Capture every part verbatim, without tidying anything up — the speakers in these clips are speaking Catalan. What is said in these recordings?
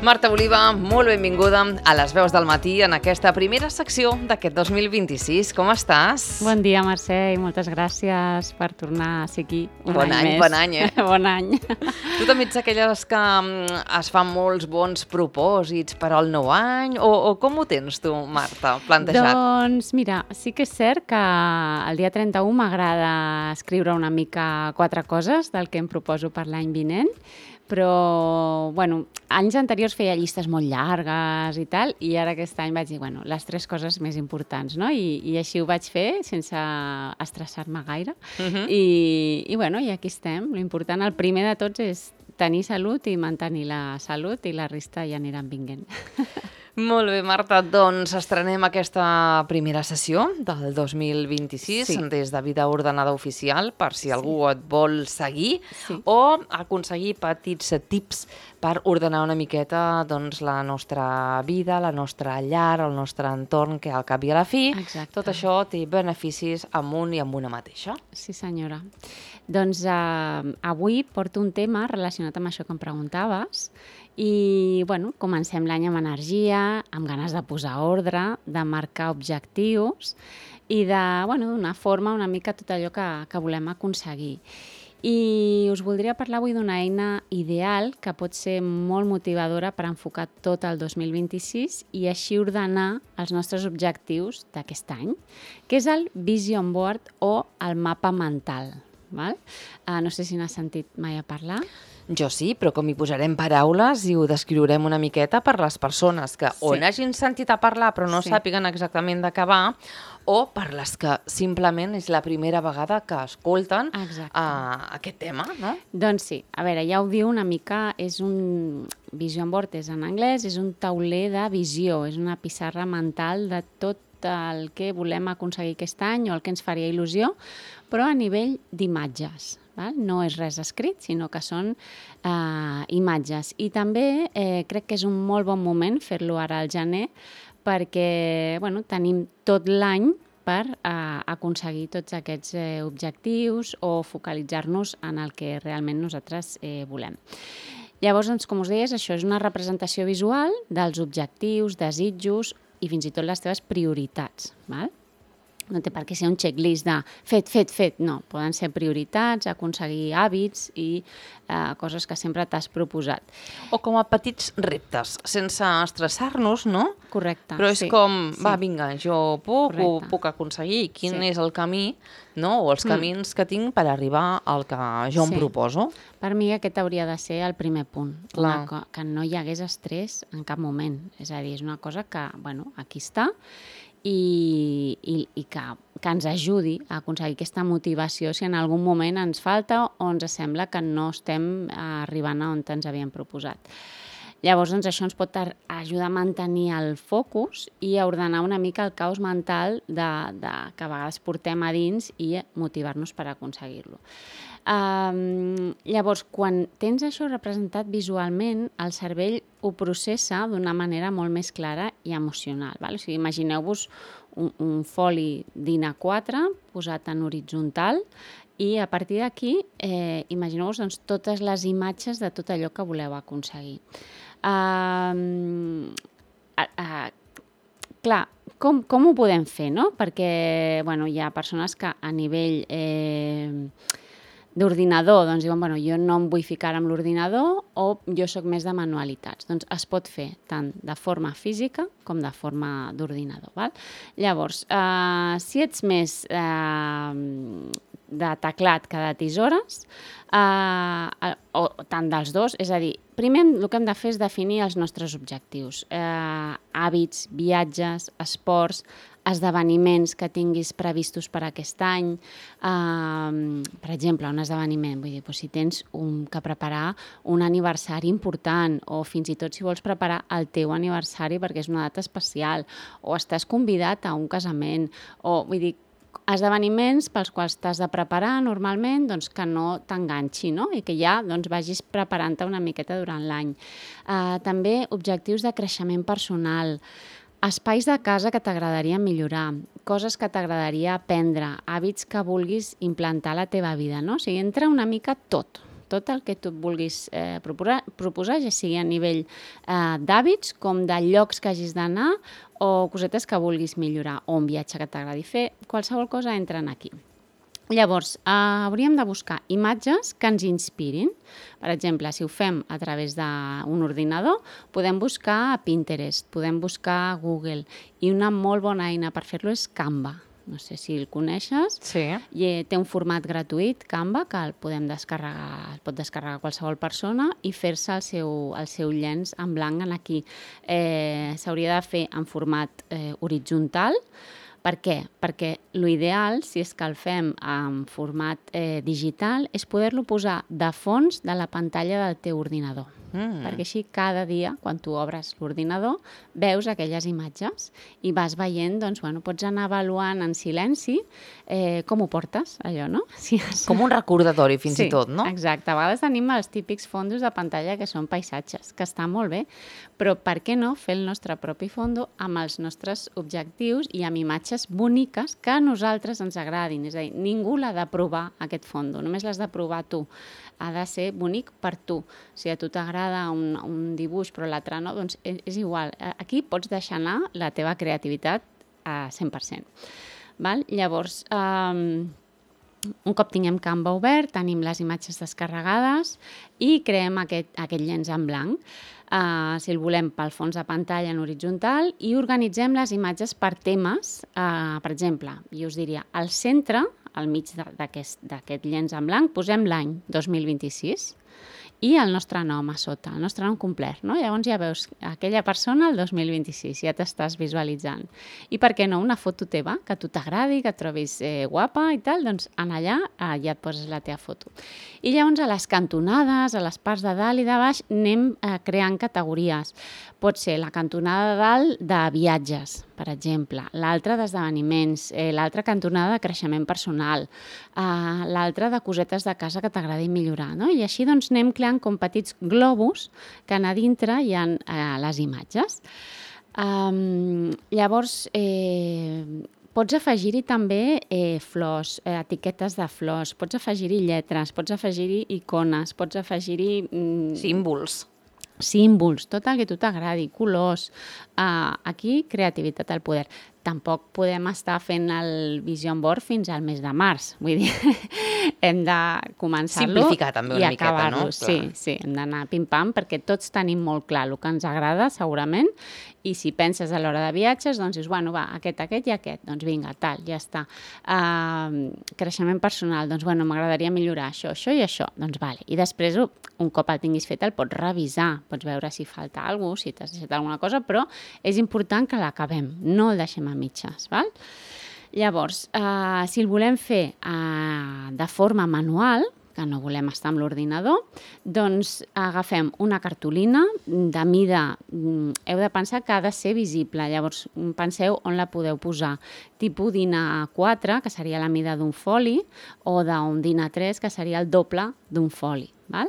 Marta Oliva, molt benvinguda a Les Veus del Matí en aquesta primera secció d'aquest dos mil vint-i-sis. Com estàs? Bon dia, Mercè, i moltes gràcies per tornar a ser aquí un bon any, any més. Bon any, eh? Bon any. Tu també ets aquelles que um, es fan molts bons propòsits per al nou any? O, o com ho tens tu, Marta, plantejat? Doncs mira, sí que és cert que el dia trenta-u m'agrada escriure una mica quatre coses del que em proposo per l'any vinent, però, bueno, anys anteriors feia llistes molt llargues i tal, i ara aquest any vaig dir, bueno, les tres coses més importants, no? I, i així ho vaig fer, sense estressar-me gaire. Uh-huh. I, i, bueno, i aquí estem. L'important, el primer de tots, és tenir salut i mantenir la salut, i la resta ja aniran vinguent. Molt bé, Marta, doncs estrenem aquesta primera sessió del dos mil vint-i-sis sí. des de Vida Ordenada Oficial, per si sí. algú et vol seguir sí. o aconseguir petits tips per ordenar una miqueta doncs, la nostra vida, la nostra llar, el nostre entorn, que al cap i a la fi, Exacte. tot això té beneficis amb un i amb una mateixa. Sí, senyora. Doncs eh, avui porto un tema relacionat amb això que em preguntaves, i bueno, comencem l'any amb energia, amb ganes de posar ordre, de marcar objectius i de bueno, donar forma una mica a tot allò que, que volem aconseguir. I us voldria parlar avui d'una eina ideal que pot ser molt motivadora per enfocar tot el dos mil vint-i-sis i així ordenar els nostres objectius d'aquest any, que és el Vision Board o el mapa mental. Val? Uh, no sé si n'has sentit mai a parlar. Jo sí, però com hi posarem paraules i ho descriurem una miqueta per les persones que sí. o n'hagin sentit a parlar però no sí. sàpiguen exactament de què va, o per les que simplement és la primera vegada que escolten uh, aquest tema, no? Doncs sí, a veure, ja ho diu una mica, és un Vision Board, és en anglès, és un tauler de visió, és una pissarra mental de tot el que volem aconseguir aquest any o el que ens faria il·lusió, però a nivell d'imatges. Val? No és res escrit, sinó que són eh, imatges. I també eh, crec que és un molt bon moment fer-lo ara al gener perquè bueno, tenim tot l'any per eh, aconseguir tots aquests eh, objectius o focalitzar-nos en el que realment nosaltres eh, volem. Llavors, doncs, com us deies, això és una representació visual dels objectius, desitjos i fins i tot les teves prioritats. Val? No té per què ser un checklist de fet, fet, fet. No, poden ser prioritats, aconseguir hàbits i eh, coses que sempre t'has proposat. O com a petits reptes, sense estressar-nos, no? Correcte. Però és sí, com, sí. va, vinga, jo puc, ho puc aconseguir. Quin sí. és el camí, no? O els camins mm. que tinc per arribar al que jo sí. em proposo? Per mi aquest hauria de ser el primer punt. Una, que no hi hagués estrès en cap moment. És a dir, és una cosa que, bueno, aquí està, i, i, i que, que ens ajudi a aconseguir aquesta motivació si en algun moment ens falta o ens sembla que no estem arribant a on ens havíem proposat. Llavors, doncs, això ens pot ajudar a mantenir el focus i a ordenar una mica el caos mental de, de, que a vegades portem a dins i motivar-nos per aconseguir-lo. Um, llavors, quan tens això representat visualment, el cervell ho processa d'una manera molt més clara i emocional. Val? O sigui, imagineu-vos un, un foli d'I N A quatre posat en horitzontal i a partir d'aquí eh, imagineu-vos doncs, totes les imatges de tot allò que voleu aconseguir. Uh, uh, uh, clar, com, com ho podem fer, no? Perquè bueno, hi ha persones que a nivell eh, d'ordinador doncs diuen, bueno, jo no em vull ficar amb l'ordinador o jo sóc més de manualitats. Doncs es pot fer tant de forma física com de forma d'ordinador. Val? Llavors, eh, si ets més eh, de teclat que de tisores, eh, o tant dels dos, és a dir, primer el que hem de fer és definir els nostres objectius, eh, hàbits, viatges, esports, esdeveniments que tinguis previstos per aquest any. Uh, per exemple, un esdeveniment, vull dir, doncs si tens un, que preparar un aniversari important o fins i tot si vols preparar el teu aniversari perquè és una data especial o estàs convidat a un casament o, vull dir, esdeveniments pels quals t'has de preparar normalment doncs, que no t'enganxi, no? I que ja doncs, vagis preparant-te una miqueta durant l'any. Uh, també objectius de creixement personal, espais de casa que t'agradaria millorar, coses que t'agradaria aprendre, hàbits que vulguis implantar a la teva vida, no? O sigui, entra una mica tot, tot el que tu et vulguis eh, proposar, proposar, ja sigui a nivell eh, d'hàbits, com de llocs que hagis d'anar o cosetes que vulguis millorar, o un viatge que t'agradi fer, qualsevol cosa entra aquí. Llavors, eh, hauríem de buscar imatges que ens inspirin. Per exemple, si ho fem a través d'un ordinador, podem buscar a Pinterest, podem buscar a Google, i una molt bona eina per fer-lo és Canva. No sé si el coneixes. Sí. I té un format gratuït, Canva, que el podem descarregar, el pot descarregar qualsevol persona i fer-se el seu, el seu llenç en blanc en aquí. Eh, S'hauria de fer en format eh, horitzontal. Per què? Perquè l'ideal, si és que el fem en format eh, digital, és poder-lo posar de fons de la pantalla del teu ordinador. Mm. Perquè així cada dia, quan tu obres l'ordinador, veus aquelles imatges i vas veient, doncs, bueno, pots anar avaluant en silenci eh, com ho portes, allò, no? Si és... Com un recordatori, fins sí, i tot, no? Exacte. A vegades tenim els típics fondos de pantalla que són paisatges, que està molt bé, però per què no fer el nostre propi fondo amb els nostres objectius i amb imatges boniques que a nosaltres ens agradin? És a dir, ningú l'ha de provar, aquest fondo, només l'has de provar tu. Ha de ser bonic per tu. Si a tu t'agrada un, un dibuix però l'altre no, doncs és, és igual. Aquí pots deixar anar la teva creativitat a cent per cent. Val? Llavors, um, un cop tinguem Canva obert, tenim les imatges descarregades i creem aquest, aquest llenç en blanc. Uh, si el volem pel fons de pantalla en horitzontal, i organitzem les imatges per temes. Uh, per exemple, jo us diria, al centre, al mig d'aquest llenç en blanc, posem l'any dos mil vint-i-sis i el nostre nom a sota, el nostre nom complet, no? Llavors ja veus aquella persona el dos mil vint-i-sis, ja t'estàs visualitzant. I per què no una foto teva, que a tu t'agradi, que et trobis eh, guapa i tal, doncs en allà eh, ja et poses la teva foto. I llavors a les cantonades, a les parts de dalt i de baix, anem eh, creant categories. Pot ser la cantonada de dalt de viatges, per exemple, l'altra d'esdeveniments, eh, l'altra cantonada de creixement personal, eh, l'altra de cosetes de casa que t'agradi millorar, no? I així doncs anem creant com petits globus que a dintre hi ha eh, les imatges. Um, llavors, eh, pots afegir-hi també eh, flors, eh, etiquetes de flors, pots afegir-hi lletres, pots afegir-hi icones, pots afegir-hi... Mm, símbols. Símbols, tot el que a tu t'agradi, colors. Uh, aquí, creativitat al poder. Tampoc podem estar fent el vision board fins al mes de març. Vull dir, hem de començar-lo simplificar també una i miqueta, no? Sí, sí, hem d'anar pim-pam perquè tots tenim molt clar el que ens agrada, segurament, i si penses a l'hora de viatges, doncs dius, bueno, va, aquest, aquest i aquest, doncs vinga, tal, ja està. Uh, creixement personal, doncs, bueno, m'agradaria millorar això, això i això, doncs vale. I després, un cop el tinguis fet, el pots revisar, pots veure si falta alguna cosa, si t'has deixat alguna cosa, però és important que l'acabem, no el deixem a mitges, val? Llavors, eh, si el volem fer eh, de forma manual, que no volem estar amb l'ordinador, doncs agafem una cartolina de mida, heu de pensar que ha de ser visible, llavors penseu on la podeu posar, tipus DIN A quatre, que seria la mida d'un foli, o d'un DIN A tres, que seria el doble d'un foli. Val?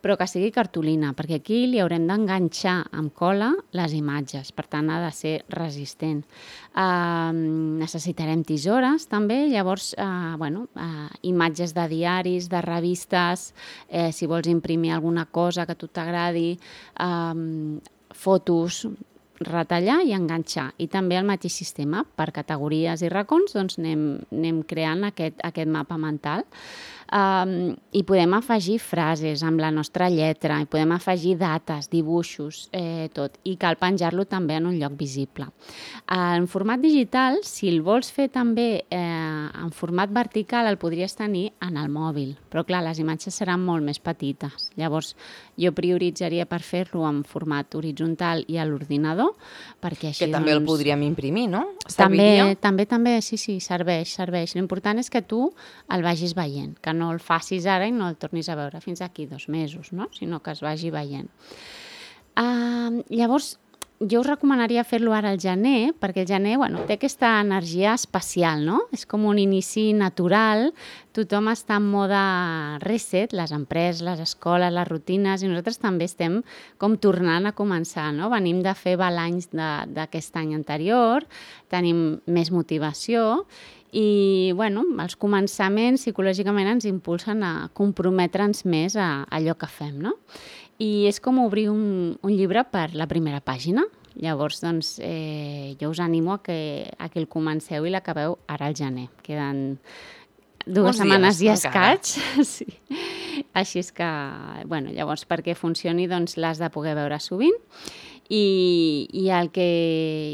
Però que sigui cartolina, perquè aquí li haurem d'enganxar amb cola les imatges, per tant ha de ser resistent. Uh, necessitarem tisores també, llavors uh, bueno, uh, imatges de diaris, de revistes, eh, si vols imprimir alguna cosa que a tu t'agradi, uh, fotos, retallar i enganxar. I també el mateix sistema, per categories i racons, doncs anem, anem creant aquest, aquest mapa mental. Um, i podem afegir frases amb la nostra lletra, i podem afegir dates, dibuixos, eh, tot, i cal penjar-lo també en un lloc visible. En format digital, si el vols fer també eh, en format vertical, el podries tenir en el mòbil, però clar, les imatges seran molt més petites. Llavors, jo prioritzaria per fer-lo en format horitzontal i a l'ordinador, perquè així... Que també doncs... el podríem imprimir, no? També, també, també, sí, sí, serveix, serveix. L'important és que tu el vagis veient, que no el facis ara i no el tornis a veure fins aquí dos mesos, no? Sinó que es vagi veient. Uh, llavors, jo us recomanaria fer-lo ara al gener, perquè el gener, bueno, té aquesta energia especial, no? És com un inici natural, tothom està en mode reset, les empreses, les escoles, les rutines, i nosaltres també estem com tornant a començar, no? Venim de fer balanys d'aquest any anterior, tenim més motivació, I, bueno, els començaments psicològicament ens impulsen a comprometre'ns més a allò que fem, no? I és com obrir un, un llibre per la primera pàgina. Llavors, doncs, eh, jo us animo a que, a que el comenceu i l'acabeu ara al gener. Queden dues Uns setmanes i dies, encara. escaig. Sí. Així és que, bueno, llavors, perquè funcioni, doncs, l'has de poder veure sovint. I, i, el que,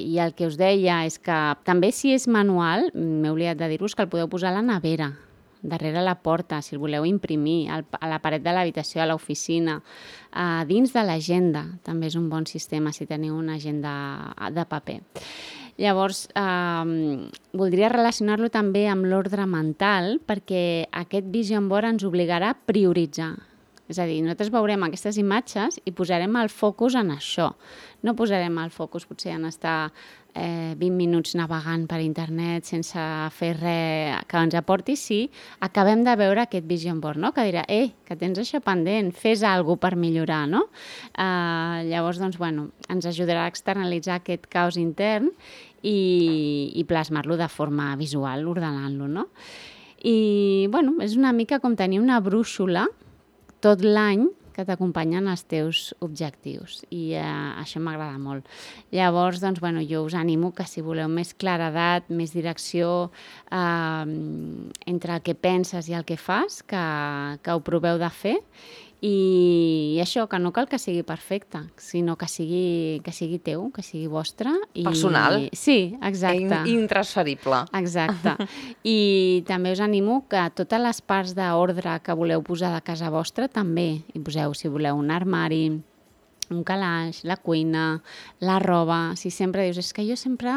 I el que us deia és que també si és manual, m'he oblidat de dir-vos que el podeu posar a la nevera, darrere la porta, si el voleu imprimir, al, a la paret de l'habitació, a l'oficina, a dins de l'agenda, també és un bon sistema si teniu una agenda de paper. Llavors, eh, voldria relacionar-lo també amb l'ordre mental, perquè aquest vision board ens obligarà a prioritzar. És a dir, nosaltres veurem aquestes imatges i posarem el focus en això. No posarem el focus potser en estar eh, vint minuts navegant per internet sense fer res que ens aporti, sí, acabem de veure aquest vision board, no? Que dirà, eh, que tens això pendent, fes alguna cosa per millorar, no? Eh, llavors, doncs, bueno, ens ajudarà a externalitzar aquest caos intern i, i plasmar-lo de forma visual, ordenant-lo, no? I, bueno, és una mica com tenir una brúixola tot l'any que t'acompanyen els teus objectius i eh, això m'agrada molt. Llavors, doncs, bueno, jo us animo que si voleu més claredat, més direcció eh, entre el que penses i el que fas, que, que ho proveu de fer i, i això, que no cal que sigui perfecte, sinó que sigui, que sigui teu, que sigui vostre. I, personal. Sí, exacte. I intransferible. Exacte. I també us animo que totes les parts d'ordre que voleu posar de casa vostra també hi poseu, si voleu, un armari, un calaix, la cuina, la roba. Si sempre dius, és que jo sempre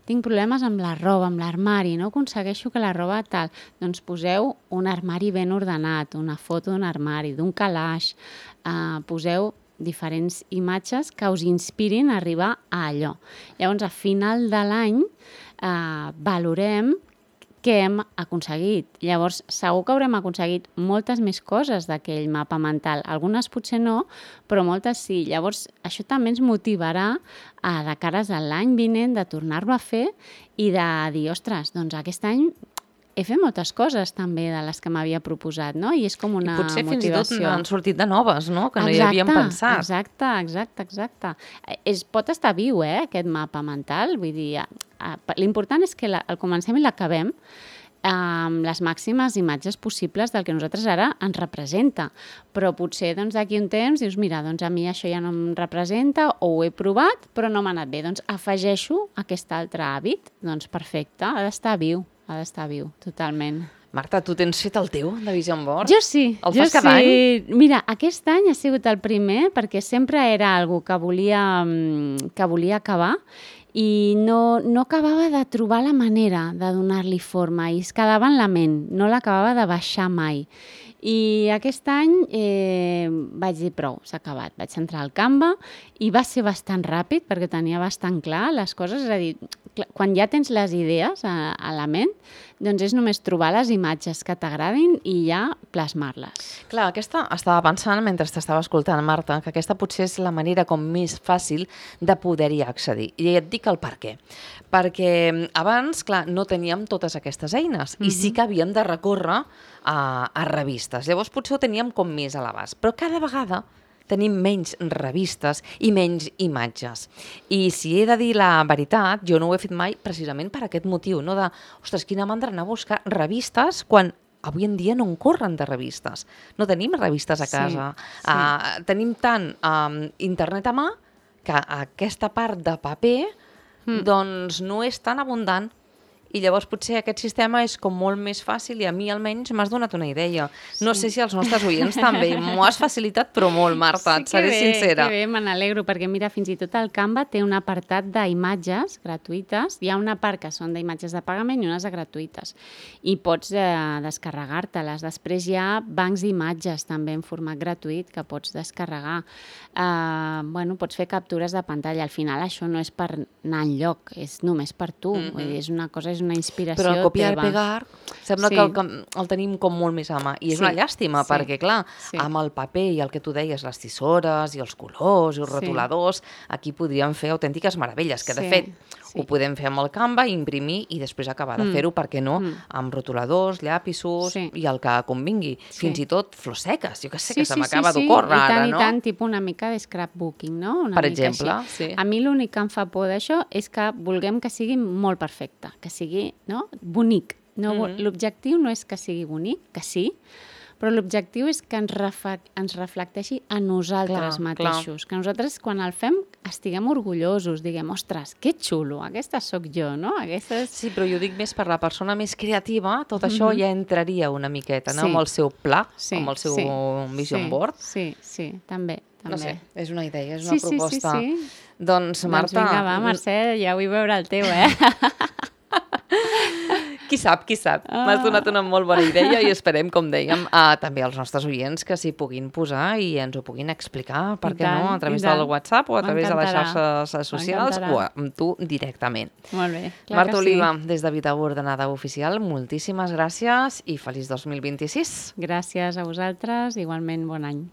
tinc problemes amb la roba, amb l'armari, no aconsegueixo que la roba tal, doncs poseu un armari ben ordenat, una foto d'un armari, d'un calaix, eh, poseu diferents imatges que us inspirin a arribar a allò. Llavors, a final de l'any, eh, valorem què hem aconseguit. Llavors, segur que haurem aconseguit moltes més coses d'aquell mapa mental. Algunes potser no, però moltes sí. Llavors, això també ens motivarà a, de cares a l'any vinent, de tornar-lo a fer i de dir, ostres, doncs aquest any he fet moltes coses també de les que m'havia proposat, no? I és com una motivació. I potser fins i tot n'han sortit de noves, no? Que no exacte, hi havíem pensat. Exacte, exacte, exacte. Es pot estar viu, eh, aquest mapa mental. Vull dir, l'important és que la, el comencem i l'acabem amb les màximes imatges possibles del que nosaltres ara ens representa. Però potser doncs, d'aquí un temps dius, mira, doncs a mi això ja no em representa o ho he provat però no m'ha anat bé. Doncs afegeixo aquest altre hàbit. Doncs perfecte, ha d'estar viu, ha d'estar viu, totalment. Marta, tu tens fet el teu de Vision Board? Jo sí. El jo fas cada sí. any? Mira, aquest any ha sigut el primer perquè sempre era algo que volia, que volia acabar i no, no acabava de trobar la manera de donar-li forma i es quedava en la ment, no l'acabava de baixar mai. I aquest any eh, vaig dir prou, s'ha acabat. Vaig entrar al Canva i va ser bastant ràpid perquè tenia bastant clar les coses. És a dir, quan ja tens les idees a, a la ment, doncs és només trobar les imatges que t'agradin i ja plasmar-les. Clar, aquesta estava pensant mentre t'estava escoltant, Marta, que aquesta potser és la manera com més fàcil de poder-hi accedir. I et dic el per què. Perquè abans, clar, no teníem totes aquestes eines mm-hmm. i sí que havíem de recórrer a, a revistes. Llavors potser ho teníem com més a l'abast. Però cada vegada tenim menys revistes i menys imatges. I si he de dir la veritat, jo no ho he fet mai precisament per aquest motiu, no de, ostres, quina mandra anar a buscar revistes quan avui en dia no en corren de revistes. No tenim revistes a casa. Sí, sí. Uh, tenim tant um, internet a mà que aquesta part de paper mm. doncs no és tan abundant. I llavors potser aquest sistema és com molt més fàcil i a mi almenys m'has donat una idea. Sí. No sé si els nostres oients també. M'ho has facilitat però molt, Marta, sí, et seré bé, sincera. Que bé, me n'alegro, perquè mira, fins i tot el Canva té un apartat d'imatges gratuïtes. Hi ha una part que són d'imatges de pagament i unes de gratuïtes. I pots eh, descarregar-te-les. Després hi ha bancs d'imatges també en format gratuït que pots descarregar. Eh, bueno, pots fer captures de pantalla. Al final això no és per anar enlloc, és només per tu. Mm-hmm. Vull dir, és una cosa, és una inspiració però el copiar teva. i pegar Sembla Sí. que el, que el tenim com molt més a mà. I és Sí, una llàstima, sí, perquè, clar, sí. amb el paper i el que tu deies, les tisores i els colors i els Sí. rotuladors, aquí podríem fer autèntiques meravelles, que de Sí, fet sí. ho podem fer amb el Canva, imprimir i després acabar de Mm. fer-ho, per què no, Mm. amb rotuladors, llapisos Sí. i el que convingui. Sí. Fins i tot flors seques, jo que sé, Sí, que sí, se m'acaba sí, sí. d'ocórrer I tant, ara, i no? tant, tipus una mica de scrapbooking, no? Una Per mica exemple, així. sí. A mi l'únic que em fa por d'això és que vulguem que sigui molt perfecte, que sigui, no?, bonic. No, Mhm. L'objectiu no és que sigui bonic, que sí, però l'objectiu és que ens, refa, ens reflecteixi a nosaltres Clar, mateixos. Que nosaltres, quan el fem, estiguem orgullosos, diguem, ostres, que xulo, aquesta sóc jo, no? Aquestes... Sí, però jo dic més per la persona més creativa, tot això Mhm. ja entraria una miqueta, no? Sí. Amb el seu pla, Sí, amb el seu sí, vision sí, board. Sí, sí, també, també. No sé, és una idea, és Sí, una sí, sí, proposta. sí. Doncs, Marta... Doncs vinga, va, Mercè, ja vull veure el teu, eh? Qui sap, qui sap. Ah. M'has donat una molt bona idea i esperem, com dèiem, a, també als nostres oients que s'hi puguin posar i ens ho puguin explicar, per I què no, tant, a través i tant. del WhatsApp o a través de les M'encantarà. xarxes socials M'encantarà. o amb tu directament. Molt bé, clar Marta que Oliva, sí. des de Vida Ordenada Oficial, moltíssimes gràcies i feliç dos mil vint-i-sis. Gràcies a vosaltres, igualment bon any.